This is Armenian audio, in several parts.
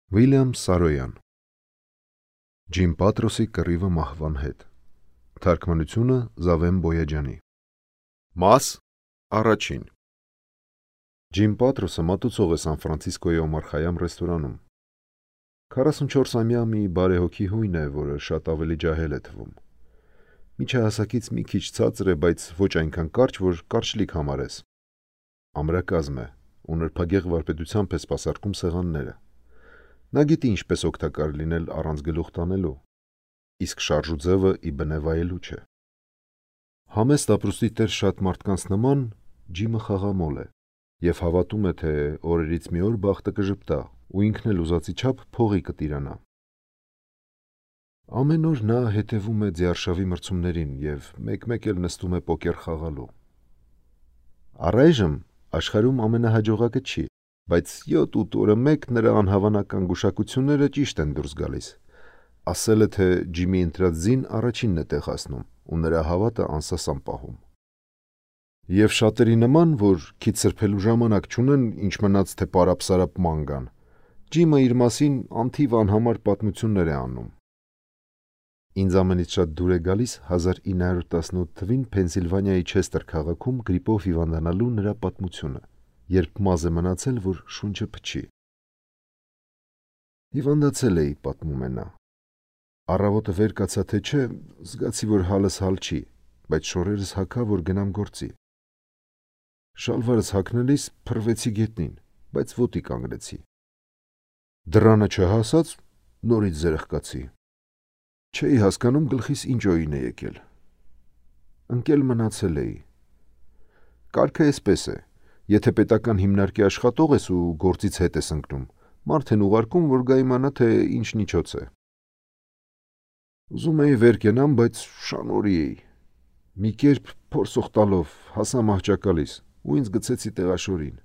Վիլյամ Սարոյան Ջիմ Պատրոսի կռիվը մահվան հետ Թարգմանությունը Զավեն Բոյաջյանի Մաս առաջին Ջիմ Պատրոսը մատուցող է Սան Ֆրանցիսկոյի Օմար Խայամ ռեստորանում 44-ամյա մի բարեհոգի հույն է, որը շատ ավելի ջահել է թվում միջահասակից մի քիչ ցածր է, բայց ոչ այնքան կարճ, որ կարճլիկ համարես ամրակազմ է ու նրբագեղ վարպետությամբ է սպասարկում սեղանները Նա գիտի ինչպես օգտակար լինել առանց գլուխ տանելու, իսկ շարժուձևը ի բնե վայելու չէ։ Համեստ ապրուստի տեր շատ մարդկանց նման Ջիմը խաղամոլ է և հավատում է, թե օրերից մի օր բախտը կժպտա ու ինքն էլ ուզածի չափ փողի կտիրանա։ Ամեն օր նա հետևում է ձիարշավի մրցումներին և մեկ-մեկ էլ նստում է պոկեր խաղալու։ Առայժմ աշխարհում ամենահաջողակը չի, բայց 7-8 օրը մեկ նրա անհավանական գուշակությունները ճիշտ են դուրս գալիս։ Ասել է, թե Ջիմի ընտրած ձին առաջինն է տեղ հասնում ու նրա հավատը անսասան պահում։ Եվ շատերի նման, որ քիչ սրբելու ժամանակ չունեն, ինչ մնաց թե պարապ-սարապ ման գան, Ջիմը իր մասին անթիվ անհամար պատմություններ է անում։ Ինձ ամենից շատ դուր է գալիս 1918 թվին Փենսիլվանիայի Չեսթեր քաղաքում գրիպով հիվանդանալու նրա պատմությունը, երբ մազ է մնացել, որ շունչը փչի։ Հիվանդացել էի, պատմում է նա։ Առավոտը վեր կացա թե չէ, զգացի, որ հալս հալ չի, բայց շորերս հագա, որ գնամ գործի։ Շալվարս հագնելիս փռվեցի գետնին, բայց ոտի կանգնեցի։ Դռանը չհասած նորից զրխկացի։ Չէի հասկանում գլխիս ինչ օին է եկել։ Ընկել մնացել էի։ Կարգը էսպես է. Եթե պետական հիմնարկի աշխատող ես ու գործից հետ ես ընկնում, մարդ են ուղարկում, որ գա իմանա, թե ինչ միջոց է։ Ուզում էի վեր կենամ, բայց շանորի էի։ Մի կերպ փորձող տալով հասա մահճակալիս ու ինձ գցեցի տեղաշորին։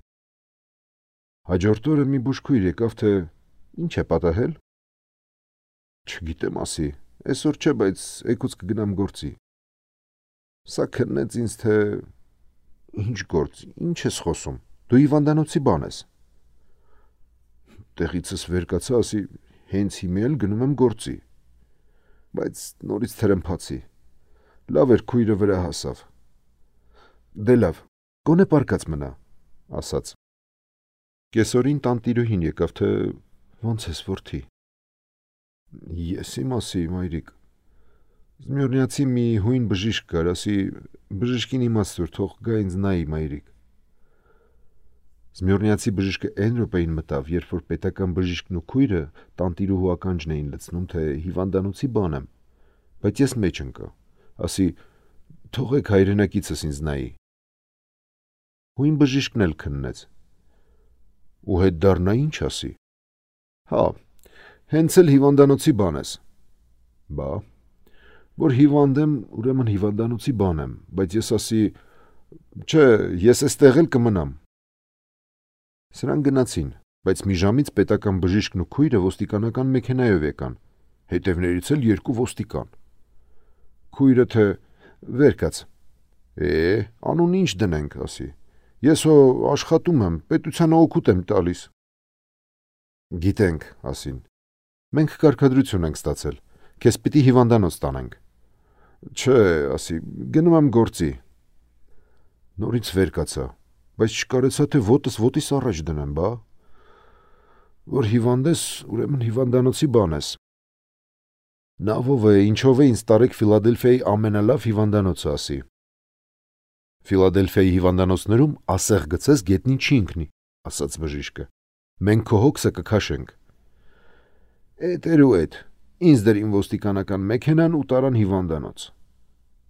Հաջորդ օրը մի բուժքույր եկավ, թե ինչ է պատահել։ Չգիտեմ ասի, այսօր չէ, բայց էգուց կգնամ գործի։ Սա քննեց ինձ, թե ինչ գործ, ինչ ես խոսում, դու հիվանդանոցի բան ես։ Տեղիցս վեր կացա, ասի, հենց հիմա էլ գնում եմ գործի։ Բայց նորից թրմփացի։ Լավ էր քույրը վրա հասավ։ Դե լավ, գոնե պարկած մնա, ասաց։ Կեսօրին տանտիրուհին եկավ, թե ոնց ես որդի։ Ես իմասի, մայրիկ։ Զմյուրնիացի մի հույն բժիշկ կար, ասի, բժիշկին իմացտուր, թող գա ինձ նայի, մայրիկ։ Զմյուրնիացի բժիշկը այն րոպեին մտավ, երբ որ պետական բժիշկն ու քույրը տանտիրուհու ականջն էին լցնում, թե հիվանդանոցի բան եմ, բայց ես մեջ ընկա, ասի, թողեք հայրենակիցս ինձ նայի։ Հույն բժիշկն էլ քննեց։ Ու հետ դառնա ինչ ասի։ Հա, հենց էլ հիվանդանոցի բան ես։ Բա, որ հիվանդ եմ, ուրեմն հիվանդանոցի բան եմ, բայց ես ասի, չէ, ես էստեղ էլ կմնամ։ Սրանք գնացին, բայց մի ժամից պետական բժիշկն ու քույրը ոստիկանական մեքենայով եկան, հետևներից էլ 2 ոստիկան։ Քույրը թե վեր կաց։ Անուն ինչ դնենք, ասի։ Ես հո աշխատում եմ, պետությանը օգուտ եմ տալիս։ Գիտենք, ասին։ Մենք կարգադրություն ենք ստացել, քեզ պիտի հիվանդանոց տանենք։ Չէ, ասի, գնում եմ գործի։ Նորից վեր կացա, բայց չկարեցա, թե ոտս ոտիս առաջ դնեմ, բա։ Որ հիվանդ ես, ուրեմն հիվանդանոցի բան ես։ Նա ով է, ինչով է ինձ տարեք Ֆիլադելֆիայի ամենալավ հիվանդանոցը, ասի։ Ֆիլադելֆիայի հիվանդանոցներում ասեղ գցես գետնին չի ընկնի, ասաց բժիշկը։ Մենք քո հոգսը կքաշենք։ Էդ էր ու էդ, ինձ դրին ոստիկանական մեքենան ու տարան հիվանդանոց։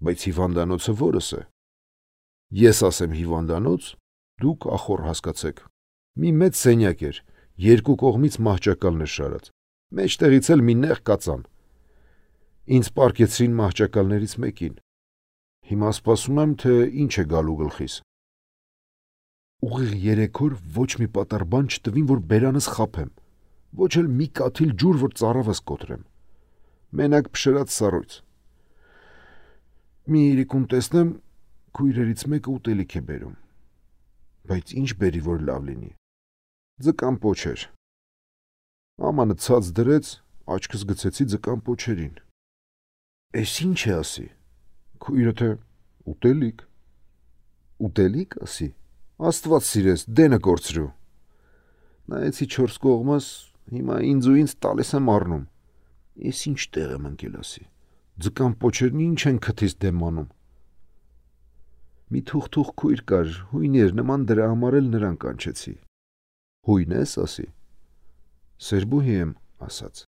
Բայց հիվանդանոցը որս է։ Ես ասեմ հիվանդանոց, դուք ախոր հասկացեք։ Մի մեծ սենյակ էր, 2 կողմից մահճակալներ շարած, մեջտեղից էլ մի նեղ կածան։ Ինձ պառկեցրին մահճակալներից մեկին։ Հիմա սպասում եմ, թե ինչ է գալու գլխիս։ Ուղիղ 3 օր ոչ մի պատառ բան չտվին, որ բերանս խաբեմ, ոչ էլ մի կաթիլ ջուր, որ ծառավս կոտրեմ։ Մենակ փշրած սառույց։ Մի իրիկուն տեսնեմ, քույրերից մեկը ուտելիք է բերում։ Բայց ինչ բերի, որ լավ լինի։ Ձկան պոչ էր։ Ամանը ցած դրեց, աչքս գցեցի ձկան պոչերին։ Էս ինչ է ասի։ Քույրը թե ուտելիք։ Ուտելիք ասի։ Աստված սիրես, դենը կորցրու։ Նայեցի 4 կողմս, հիմա ինձ տալիս եմ առնում։ Էս ինչ տեղ եմ ընկել ասի։ Ձկան պոչերն ինչ են քթից դեմ անում։ Մի թուղթ քույր կար, հույն էր, նման դրա համար էլ նրան կանչեցի։ Հույն ես ասի։ Սերբուհի եմ ասաց։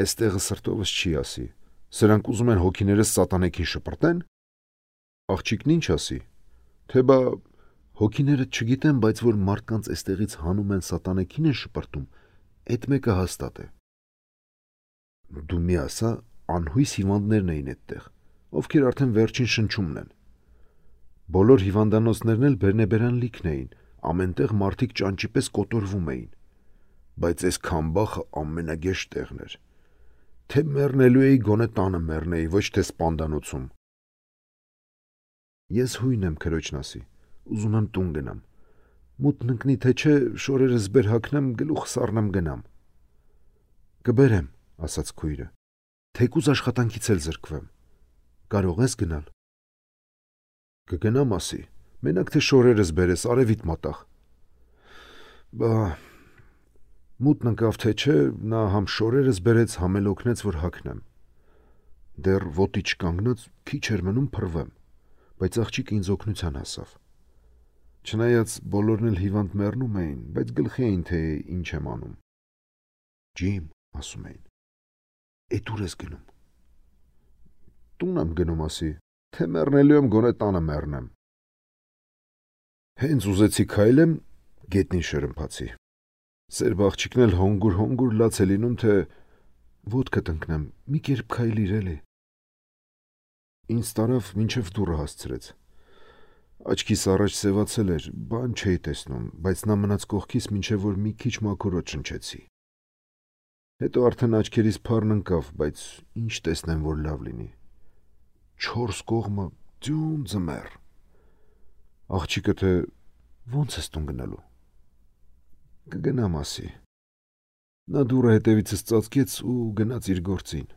Էստեղը սրտովս չի ասի։ Սրանք ուզում են հոգիներս սատանեքին շպրտեն։ Աղջիկն ինչ ասի։ Թե բա հոգիները չգիտեն, բայց որ մարդկանց էստեղից հանում են սատանեքին են շպրտում, այդ մեկը հաստատ է։ Դու մի ասա, անհույս հիվանդներն էին այդտեղ, ովքեր արդեն վերջին շնչումն են։ Բոլոր հիվանդանոցներն էլ բերնեբերան լիքն էին, ամենտեղ մարդիկ ճանճի պես կոտորվում էին։ Բայց այս քամբախը ամենագեշ տեղն էր։ Թե մեռնելու էի, գոնե տանը մեռնեի, ոչ թե սպանդանոցում։ Ես հույն եմ քրոջն ասի, ուզում եմ տուն գնամ։ Մութն ընկնի թե չէ, շորերս բեր հագնեմ, գլուխս առնեմ գնամ։ Կբերեմ, ասաց քույրը։ Թեկուզ աշխատանքից էլ զրկվեմ։ Կարող ես գնալ։ Կգնամ ասի, մենակ թե շորերս բերես, արևիտ մատաղ։ Բա մութն ընկավ թե չէ, նա համ շորերս բերեց, համ էլ օգնեց, որ հագնեմ։ Դեռ ոտի չկանգնած քիչ էր մնում փռվեմ, բայց աղջիկը ինձ օգնության հասավ։ Չնայած բոլորն էլ հիվանդ մեռնում էին, բայց գլխի էին, թե ինչ եմ անում։ Ջիմ, ասում էին։ Էդ ուր ես գնում։ Տուն եմ գնում ասի, թե մեռնելու եմ, գոնե տանը մեռնեմ։ Հենց ուզեցի քայլեմ, գետնին շրմփացի։ Սերբ աղջիկն էլ հոնգուր լաց է լինում, թե ոտքը տնկնեմ, մի կերպ քայլիր էլի։ Ինձ տարավ մինչև դուռը հասցրեց։ Աչքիս առաջ սևացել էր, բան չէի տեսնում, բայց նա մնաց կողքիս, մինչև որ մի քիչ մաքուրոտ շնչեցի։ Հետո արդեն աչքերիս փառն ընկավ, բայց ինչ տեսնեմ, որ լավ լինի։ 4 կողմը ձյուն ձմեռ։ Աղջիկը թե ո՞նց ես տուն գնալու։ Կգնամ ասի։ Նա դուռը հետևիցս ծածկեց ու գնաց իր գործին։